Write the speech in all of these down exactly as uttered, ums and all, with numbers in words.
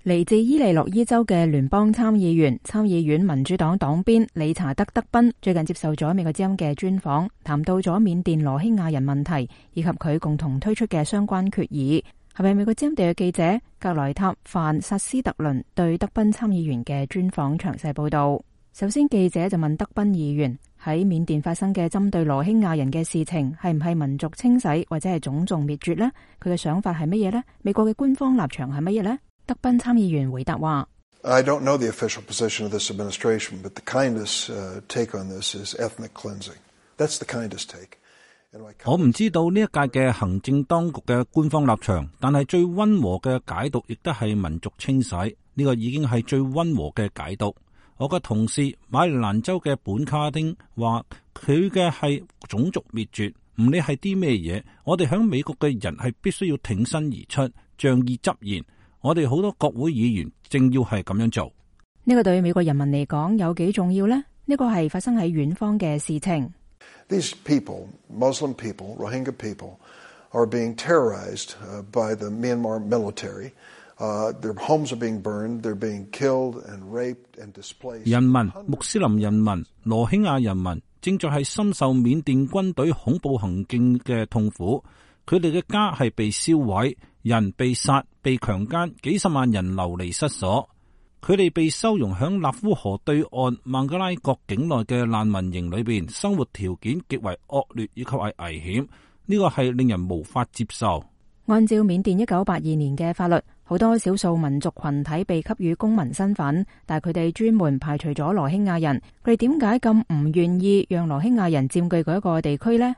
嚟自伊利諾伊州嘅聯邦參議員、參議院民主黨黨鞭理查德·德賓最近接受咗美國之音嘅專訪，談到咗緬甸羅興亞人問題以及佢共同推出嘅相關決議。係咪美國之音地嘅記者格萊塔范薩斯特倫對德賓參議員嘅專訪詳細報道。首先，記者就問德賓議員喺緬甸發生嘅針對羅興亞人嘅事情係唔係民族清洗或者係種族滅絕呢？佢嘅想法係乜嘢呢？美國嘅官方立場係乜嘢呢？德賓參議員回答話 I don't know the official position of this administration, but the kindest take on this is ethnic cleansing. That's the kindest take. 我唔知道呢一屆嘅行政當局嘅官方立場，但係最溫和嘅解讀亦都係民族清洗，呢個已經係最溫和嘅解讀。我嘅同事馬里蘭州嘅本卡丁話佢嘅係種族滅絕，唔理係啲咩嘢，我哋響美國嘅人係必須要挺身而出，仗義執言。我哋好多國會議員正要係咁樣做。呢個對美國人民嚟講有幾重要呢？呢個係發生喺遠方嘅事情。These people, Muslim people, Rohingya people, are being terrorized by the Myanmar military. Uh, their homes are being burned, they're being killed and raped and displaced. 人民、穆斯林人民、羅興亞人民正在係深受緬甸軍隊恐怖行徑嘅痛苦，佢哋嘅家係被燒毀，人被殺、被強姦，幾十萬人流離失所。佢哋被收容響納夫河對岸孟加拉國境內嘅難民營裏邊，生活條件極為惡劣以及係危險，呢個係令人無法接受。按照緬甸一九八二年嘅法律，好多少數民族群體被給予公民身份，但係佢哋專門排除咗羅興亞人。佢哋點解咁唔願意讓羅興亞人佔據嗰一個地區呢？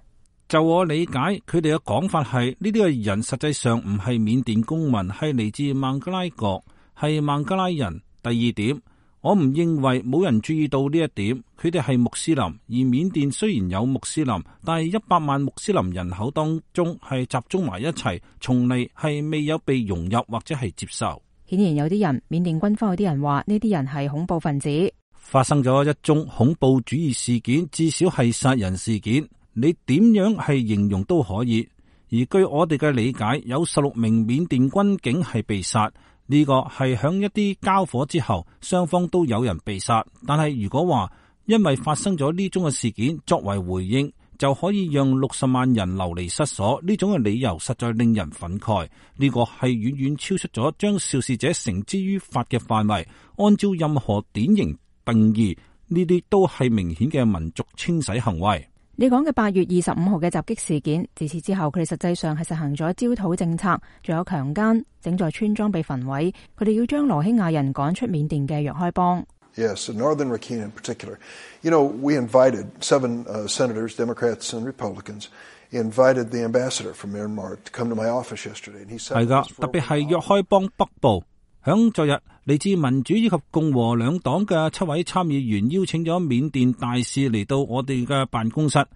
就我理解，佢哋嘅講法係呢啲嘅人實際上唔係緬甸公民，係嚟自孟加拉國，係孟加拉人。第二點，我唔認為冇人注意到呢一點，佢哋係穆斯林，而緬甸雖然有穆斯林，但係一百萬穆斯林人口當中係集中埋一齊，從嚟係未有被融入或者係接受。顯然有啲人，緬甸軍方有啲人話呢啲人係恐怖分子。發生咗一宗恐怖主義事件，至少係殺人事件，你點樣係形容都可以。而據我哋嘅理解，有十六名緬甸軍警係被殺。呢個係響一啲交火之後，雙方都有人被殺。但係如果話因為發生咗呢種嘅事件作為回應，就可以讓六十萬人流離失所，呢種嘅理由實在令人憤慨。呢個係遠遠超出咗將肇事者繩之於法嘅範圍。按照任何典型定義，呢啲都係明顯嘅民族清洗行為。你講嘅八月二十五號嘅襲擊事件，自此之後佢哋實際上係實行咗焦土政策，仲有強姦，整座村莊被焚毀，佢哋要將羅興亞人趕出緬甸嘅若開邦。Yes, Northern Rakhine in particular. You know, we invited seven uh, senators, Democrats and Republicans, invited the ambassador from Myanmar to come to my office yesterday. And he said, 係噶，特別係若開邦北部。響昨日，嚟自民主以及共和兩黨嘅七位參議員邀請咗緬甸大使嚟到我哋嘅辦公室，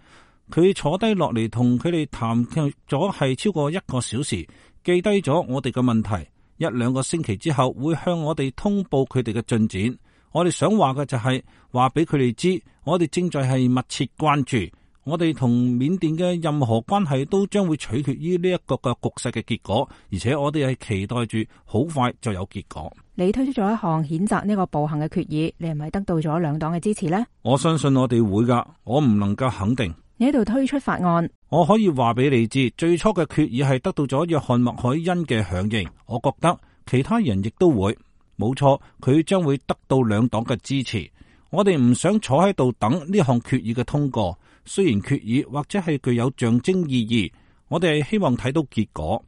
佢坐低落嚟同佢哋談咗係超過一個小時，記低咗我哋嘅問題。一兩個星期之後會向我哋通報佢哋嘅進展。我哋想話嘅就係話俾佢哋知，我哋正在係密切關注。我哋同緬甸嘅任何關係都將會取決於呢一個嘅局勢嘅結果，而且我哋係期待住好快就有結果。你推出咗一項譴責呢個暴行嘅決議，你係咪得到咗兩黨嘅支持呢？我相信我哋會噶，我唔能夠肯定。你喺度推出法案，我可以話俾你知，最初嘅決議係得到咗約翰麥凱恩嘅響應，我覺得其他人亦都會。冇錯，佢將會得到兩黨嘅支持。我哋唔想坐喺度等呢項決議嘅通過。雖然決議或者係具有象徵意義，我哋係希望睇到結果。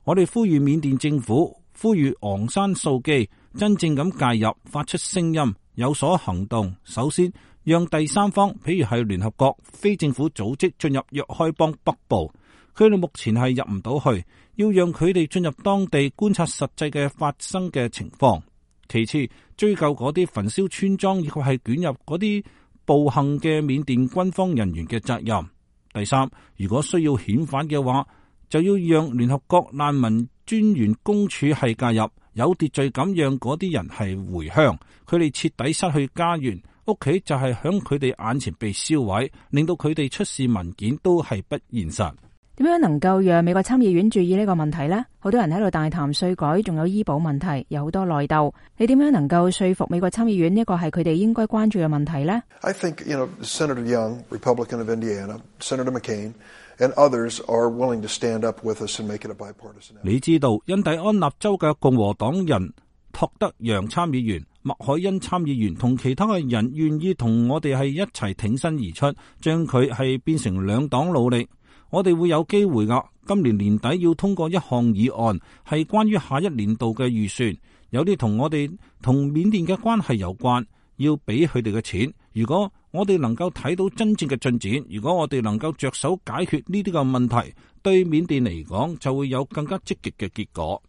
我哋呼籲緬甸政府，呼籲昂山素基真正咁介入，發出聲音，有所行動。首先，讓第三方，譬如係聯合國、非政府組織進入若開邦北部，佢哋目前係入唔到去，要讓佢哋進入當地觀察實際嘅發生嘅情況。其次，追究嗰啲焚燒村莊以及係捲入嗰啲暴行嘅緬甸軍方人員嘅責任。第三，如果需要遣返嘅話，就要讓聯合國難民專員公署係介入，有秩序咁讓嗰啲人係回鄉。佢哋徹底失去家園，屋企就係響佢哋眼前被燒毀，令到佢哋出示文件都係不現實。點樣能夠讓美國參議院注意呢個問題呢？好多人喺度大談稅改，仲有醫保問題，有好多內鬥。你點樣能夠說服美國參議院呢個係佢哋應該關注嘅問題呢？ I think, you know, Senator Young, Republican of Indiana, Senator McCain, and others are willing to stand up with us and make it a bipartisan effort. 你知道印第安納州嘅共和黨人托德楊參議員、麥凱恩參議員同其他嘅人願意同我哋係一齊挺身而出，將佢係變成兩黨努力。我哋會有機會噶，今年年底要通過一項議案，係關於下一年度嘅預算，有啲同我哋同緬甸嘅關係有關，要俾佢哋嘅錢。如果我哋能夠睇到真正嘅進展，如果我哋能夠着手解決呢啲嘅問題，對緬甸嚟講就會有更加積極嘅結果。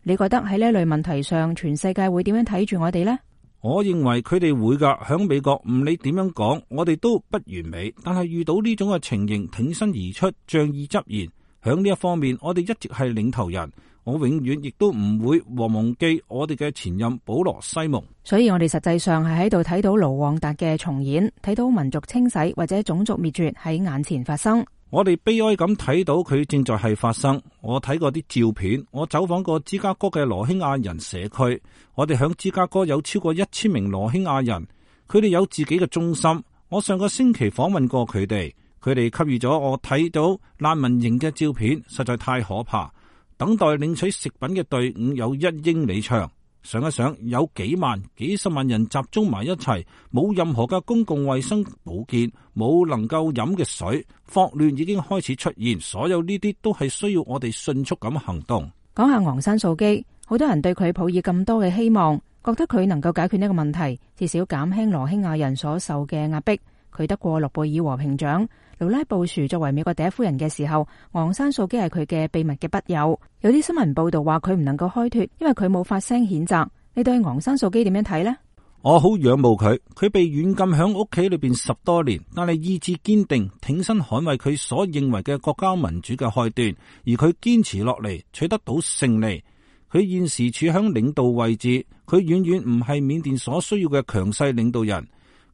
你覺得喺呢類問題上，全世界會點樣睇住我哋呢？我認為佢哋會噶，響美國唔理點樣講，我哋都不完美，但係遇到呢種嘅情形，挺身而出，仗義執言。響呢一方面，我哋一直係領頭人。我永遠亦都唔會忘記我哋嘅前任保羅西蒙。所以我哋實際上係喺度睇到盧旺達嘅重演，睇到民族清洗或者種族滅絕喺眼前發生。我哋悲哀咁睇到佢正在係發生。我睇過啲照片，我走訪過芝加哥嘅羅興亞人社區。我哋響芝加哥有超過一千名羅興亞人，佢哋有自己嘅中心。我上個星期訪問過佢哋，佢哋給予咗我睇到難民營嘅照片，實在太可怕。等待領取食品嘅隊伍有一英里長。想一想，有幾萬、幾十萬人集中埋一齊，冇任何嘅公共衛生保健，冇能夠飲嘅水，霍亂已經開始出現，所有呢啲都係需要我哋迅速咁行動。講下昂山素基，好多人對佢抱以咁多嘅希望，覺得佢能夠解決呢個問題，至少減輕羅興亞人所受嘅壓迫。佢得過諾貝爾和平獎。盧拉布殊作為美國第一夫人嘅時候，昂山素基係佢嘅秘密嘅筆友。有啲新聞報道話佢唔能夠開脫，因為佢冇發聲譴責。你對昂山素基點樣睇呢？我好仰慕佢，佢被軟禁響屋企裏邊十多年，但係意志堅定，挺身捍衛佢所認為嘅國家民主嘅開端，而佢堅持落嚟，取得到勝利。佢現時處響領導位置，佢遠遠唔係緬甸所需要嘅強勢領導人。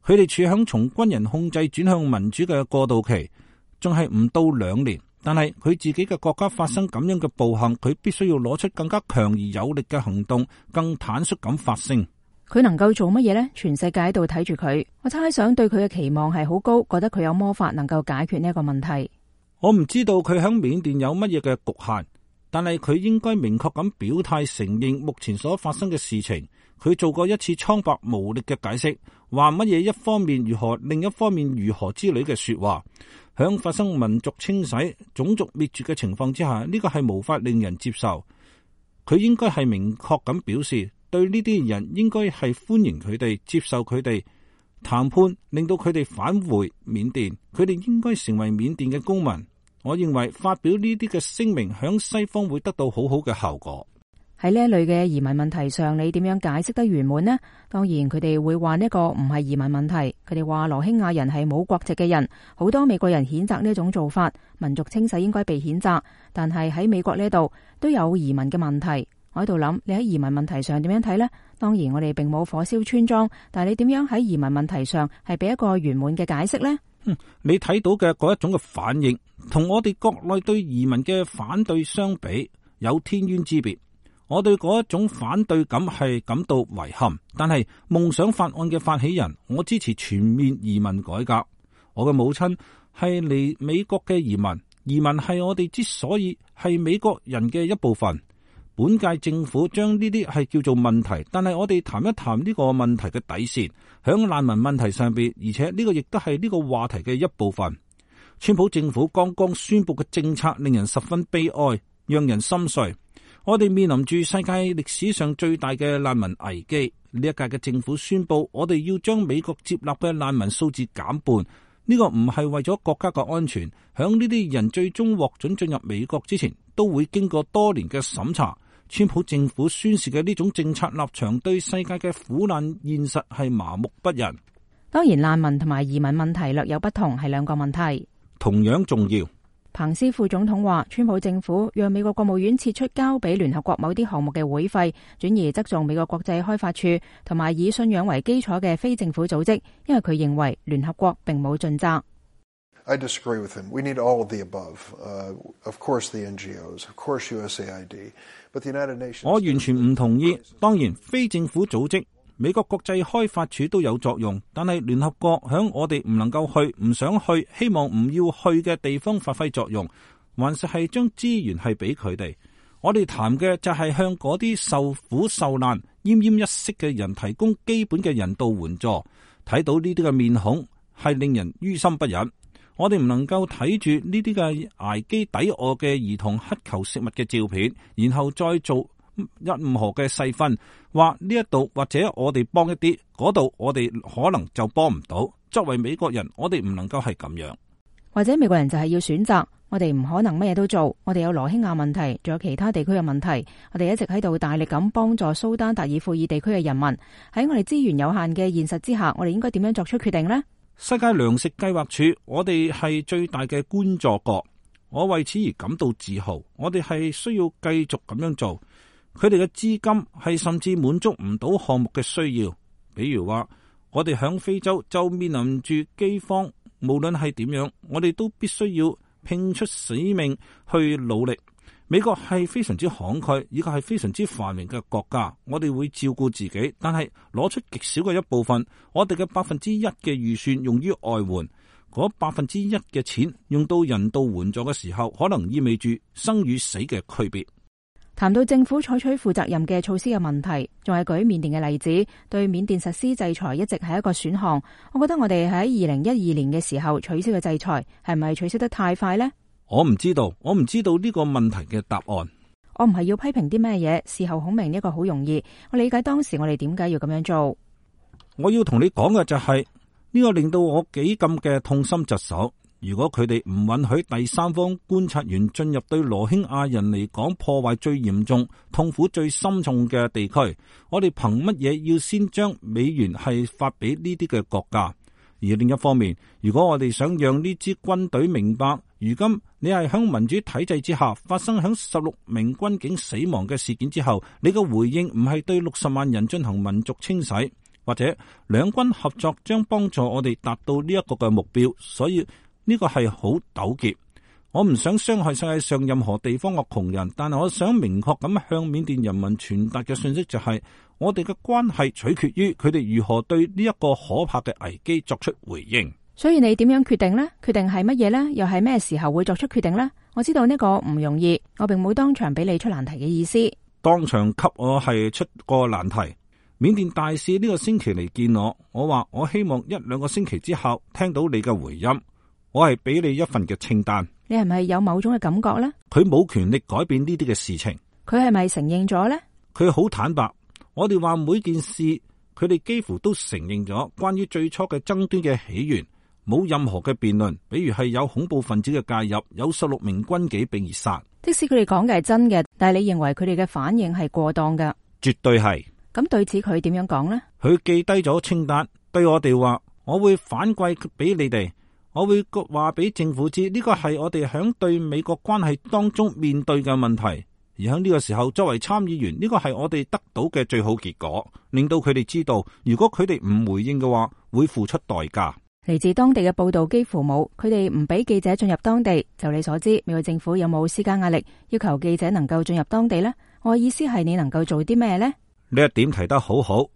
佢哋處響從軍人控制轉向民主嘅過渡期，仲係唔到兩年。但係佢自己嘅國家發生咁樣嘅暴行，佢必須要攞出更加強而有力嘅行動，更坦率咁發聲。佢能夠做乜嘢呢？全世界喺度睇住佢。我猜想對佢嘅期望係好高，覺得佢有魔法能夠解決呢一個問題。我唔知道佢響緬甸有乜嘢嘅局限，但係佢應該明確咁表態承認目前所發生嘅事情。佢做過一次蒼白無力嘅解釋，話乜嘢一方面如何，另一方面如何之類嘅說話。響發生民族清洗、種族滅絕嘅情況之下，呢個係無法令人接受。佢應該係明確咁表示，對呢啲人應該係歡迎佢哋，接受佢哋談判，令到佢哋返回緬甸。佢哋應該成為緬甸嘅公民。我認為發表呢啲嘅聲明響西方會得到好好嘅效果。喺呢一類嘅移民問題上，你點樣解釋得圓滿呢？當然佢哋會話呢個唔係移民問題，佢哋話羅興亞人係冇國籍嘅人，好多美國人譴責呢一種做法，民族清洗應該被譴責。但係喺美國呢度都有移民嘅問題。我喺度諗，你喺移民問題上點樣睇呢？當然我哋並冇火燒村莊，但係你點樣喺移民問題上係俾一個圓滿嘅解釋呢？嗯，你睇到嘅嗰一種嘅反應，同我哋國內對移民嘅反對相比，有天淵之別。我對嗰一種反對感係感到遺憾，但係夢想法案嘅發起人，我支持全面移民改革。我嘅母親係嚟美國嘅移民，移民係我哋之所以係美國人嘅一部分。本屆政府將呢啲係叫做問題，但係我哋談一談呢個問題嘅底線，響難民問題上邊，而且呢個亦都係呢個話題嘅一部分。川普政府剛剛宣布嘅政策令人十分悲哀，讓人心碎。我哋面臨住世界歷史上最大嘅難民危機。呢一屆嘅政府宣布，我哋要將美國接納嘅難民數字減半。呢個唔係為咗國家嘅安全，響呢啲人最終獲准進入美國之前，都會經過多年嘅審查。川普政府宣示嘅呢種政策立場，對世界嘅苦難現實係麻木不仁。當然，難民同埋移民問題略有不同，係兩個問題，同樣重要。彭斯副總統話，川普政府讓美國國務院撤出交俾聯合國某啲項目嘅會費，轉而側重美國國際開發處同埋以信仰為基礎嘅非政府組織，因為佢認為聯合國並冇盡責。I disagree with him. We need all of the above. Uh, of course the N G Os, of course U S A I D, but the United Nations...我完全唔同意。當然，非政府組織、美國國際開發署都有作用，但係聯合國響我哋唔能夠去、唔想去、希望唔要去嘅地方發揮作用，還是係將資源係俾佢哋。我哋談嘅就係向嗰啲受苦受難、奄奄一息嘅人提供基本嘅人道援助。睇到呢啲嘅面孔係令人於心不忍。我哋唔能夠睇住呢啲嘅挨飢抵餓嘅兒童乞求食物嘅照片，然後再做任何嘅細分，話呢一度或者我哋幫一啲，嗰度我哋可能就幫唔到。作為美國人，我哋唔能夠係咁樣。或者美國人就係要選擇，我哋唔可能乜嘢都做。我哋有羅興亞問題，仲有其他地區嘅問題，我哋一直喺度大力咁幫助蘇丹達爾富爾地區嘅人民。喺我哋資源有限嘅現實之下，我哋應該點樣作出決定呢？世界糧食計劃署，我哋係最大嘅捐助國，我為此而感到自豪。我哋係需要繼續咁樣做。佢哋嘅資金係甚至滿足唔到項目嘅需要，比如話我哋響非洲就面臨住饑荒，無論係點樣，我哋都必須要拼出死命去努力。美國係非常之慷慨，以及係非常之繁榮嘅國家，我哋會照顧自己，但係攞出極少嘅一部分，我哋嘅百分之一嘅預算用於外援，嗰百分之一嘅錢用到人道援助嘅時候，可能意味住生與死嘅區別。談到政府採取負責任嘅措施嘅問題，仲係舉緬甸嘅例子，對緬甸實施制裁一直係一個選項。我覺得我哋喺二零一二年嘅時候取消嘅制裁，係咪取消得太快呢？我唔知道，我唔知道呢個問題嘅答案。我唔係要批評啲咩嘢，事後孔明呢個好容易。我理解當時我哋點解要咁樣做。我要同你講嘅就係呢個令到我幾咁嘅痛心疾首。如果佢哋唔允許第三方觀察員進入對羅興亞人嚟講破壞最嚴重、痛苦最深重嘅地區，我哋憑乜嘢要先將美元係發俾呢啲嘅國家？而另一方面，如果我哋想讓呢支軍隊明白，如今你係響民主體制之下發生響十六名軍警死亡嘅事件之後，你嘅回應唔係對六十萬人進行民族清洗，或者兩軍合作將幫助我哋達到呢一個嘅目標，所以呢個係好糾結。我唔想傷害世界上任何地方嘅窮人，但係我想明確咁向緬甸人民傳達嘅信息就係，我哋嘅關係取決於佢哋如何對呢一個可怕嘅危機作出回應。所以你點樣決定呢？決定係乜嘢呢？又係咩時候會作出決定呢？我知道呢個唔容易，我並冇當場俾你出難題嘅意思。當場給我係出個難題。緬甸大使呢個星期嚟見我，我話我希望一兩個星期之後聽到你嘅回音。我係俾你一份嘅清單。你係咪有某種嘅感覺呢？佢冇權力改變呢啲嘅事情。佢係咪承認咗呢？佢好坦白。我哋話每件事，佢哋幾乎都承認咗。關於最初嘅爭端嘅起源，冇任何嘅辯論。比如係有恐怖分子嘅介入，有十六名軍警被殺。即使佢哋講嘅係真嘅，但係你認為佢哋嘅反應係過當㗎？絕對係。咁對此佢點樣講呢？佢記低咗清單，對我哋話：我會反饋俾你哋。我會話俾政府知，呢個係我哋響對美國關係當中面對嘅問題，而喺呢個時候作為參議員，呢個係我哋得到嘅最好結果，令到佢哋知道，如果佢哋唔回應嘅話，會付出代價。嚟自當地嘅報道幾乎冇，佢哋唔俾記者進入當地。就你所知，美國政府有冇施加壓力，要求記者能夠進入當地呢？我嘅意思係你能夠做啲咩呢？呢一點提得好好。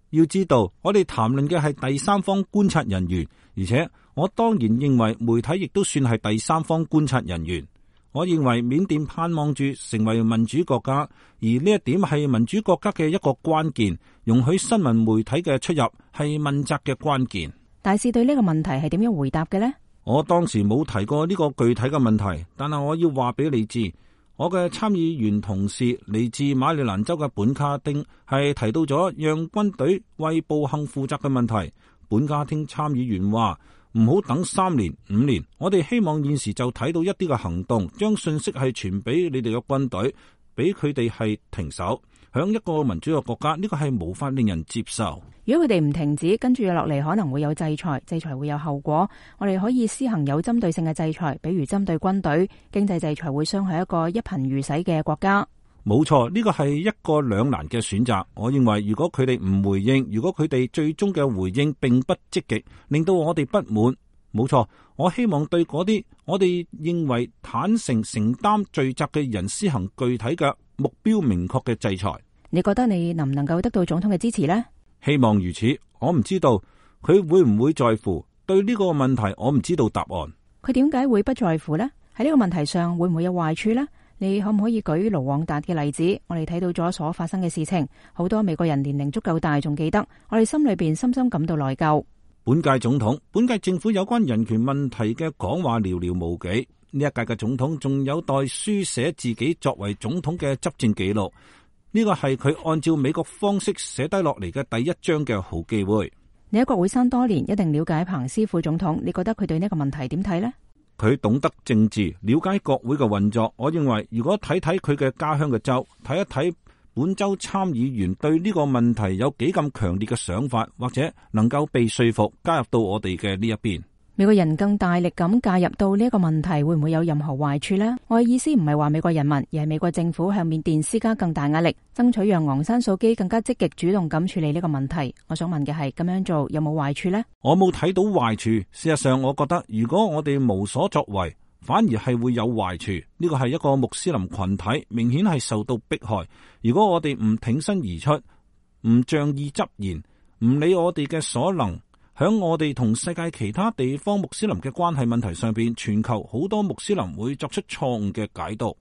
要知道，我哋談論嘅係第三方觀察人員，而且我當然認為媒體亦都算係第三方觀察人員。我認為緬甸盼望住成為民主國家，而呢一點係民主國家嘅一個關鍵。容許新聞媒體嘅出入係問責嘅關鍵。大使對呢個問題係點樣回答嘅呢？我當時冇提過呢個具體嘅問題，但係我要話俾你知。我嘅參議員同事嚟自馬里蘭州嘅本卡丁係提到咗讓軍隊為暴行負責嘅問題。本卡丁參議員話唔好等三年五年，我哋希望現時就睇到一啲嘅行動，將信息係傳俾你哋嘅軍隊，俾佢哋係停手。響一個民主嘅國家，呢個係無法令人接受。如果佢哋唔停止，跟住落嚟可能會有制裁，制裁會有後果。我哋可以施行有針對性嘅制裁，比如針對軍隊。經濟制裁會傷害一個一貧如洗嘅國家。冇錯，呢個係一個兩難嘅選擇。我認為如果佢哋唔回應，如果佢哋最終嘅回應並不積極，令到我哋不滿，冇錯，我希望對嗰啲我哋認為坦誠承擔罪責嘅人施行具體嘅目標明確嘅制裁。你覺得你能唔能夠得到總統嘅支持呢？希望如此。我唔知道佢會唔會在乎，對呢個問題我唔知道答案。佢點解會不在乎呢？喺呢個問題上會唔會有壞處呢？你可唔可以舉盧旺達嘅例子？我哋睇到咗所發生嘅事情，好多美國人年齡足夠大仲記得，我哋心裏邊深深感到內疚。本屆總統、本屆政府有關人權問題嘅講話寥寥無幾。呢一屆嘅總統仲有待書寫自己作為總統嘅執政記錄，呢個係佢按照美國方式寫低落嚟嘅第一章嘅好機會。你喺國會山多年，一定了解彭斯副總統，你覺得佢對呢個問題點睇呢？佢懂得政治，了解國會嘅運作。我認為如果睇睇佢嘅家鄉嘅州，睇一睇本州參議員對呢個問題有幾咁強烈嘅想法，或者能夠被說服加入到我哋嘅呢一邊。美國人更大力咁介入到呢一個問題，會唔會有任何壞處呢？我嘅意思唔係話美國人民，而係美國政府向緬甸施加更大壓力，爭取讓昂山素基更加積極主動咁處理呢個問題。我想問嘅係，咁樣做有冇壞處呢？我冇睇到壞處。事實上，我覺得如果我哋無所作為，反而係會有壞處。呢個係一個穆斯林群體，明顯係受到迫害。如果我哋唔挺身而出，唔仗義執言，唔理我哋嘅所能，響我哋同世界其他地方穆斯林嘅關係問題上邊，全球好多穆斯林會作出錯誤嘅解讀。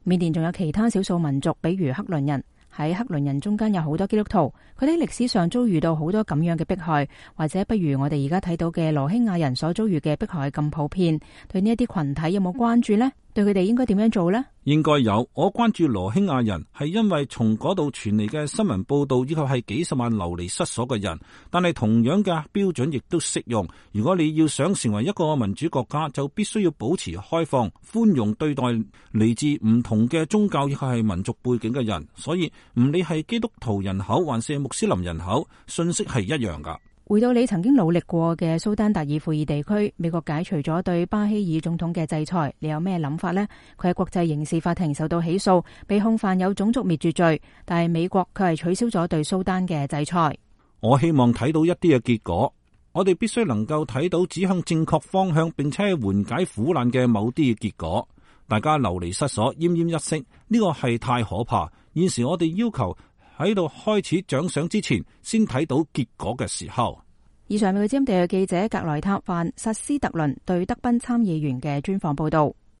緬甸仲有其他少數民族，比如克倫人。喺克倫人中間有好多基督徒，佢哋喺歷史上遭遇到好多咁樣嘅迫害，或者不如我哋而家睇到嘅羅興亞人所遭遇嘅迫害咁普遍。對呢一啲群體有冇關注呢？對佢哋應該點樣做呢？應該有。我關注羅興亞人係因為從嗰度傳嚟嘅新聞報道，以及係幾十萬流離失所嘅人。但係同樣嘅標準亦都適用。如果你要想成為一個民主國家，就必須要保持開放、寬容對待嚟自唔同嘅宗教以及係民族背景嘅人。所以唔理係基督徒人口還是穆斯林人口，信息係一樣噶。回到你曾經努力過嘅蘇丹達爾富爾地區，美國解除咗對巴希爾總統嘅制裁，你有咩諗法呢？佢喺國際刑事法庭受到起訴，被控犯有種族滅絕罪，但係美國佢係取消咗對蘇丹嘅制裁。我希望睇到一啲嘅結果，我哋必須能夠睇到指向正確方向，並且係緩解苦難嘅某啲嘅結果。大家流離失所，奄奄一息，呢個係太可怕。現時我哋要求喺度開始獎賞之前，先睇到結果嘅時候。以上係美國之音地嘅記者格萊塔范薩斯特倫對德賓參議員嘅專訪報道。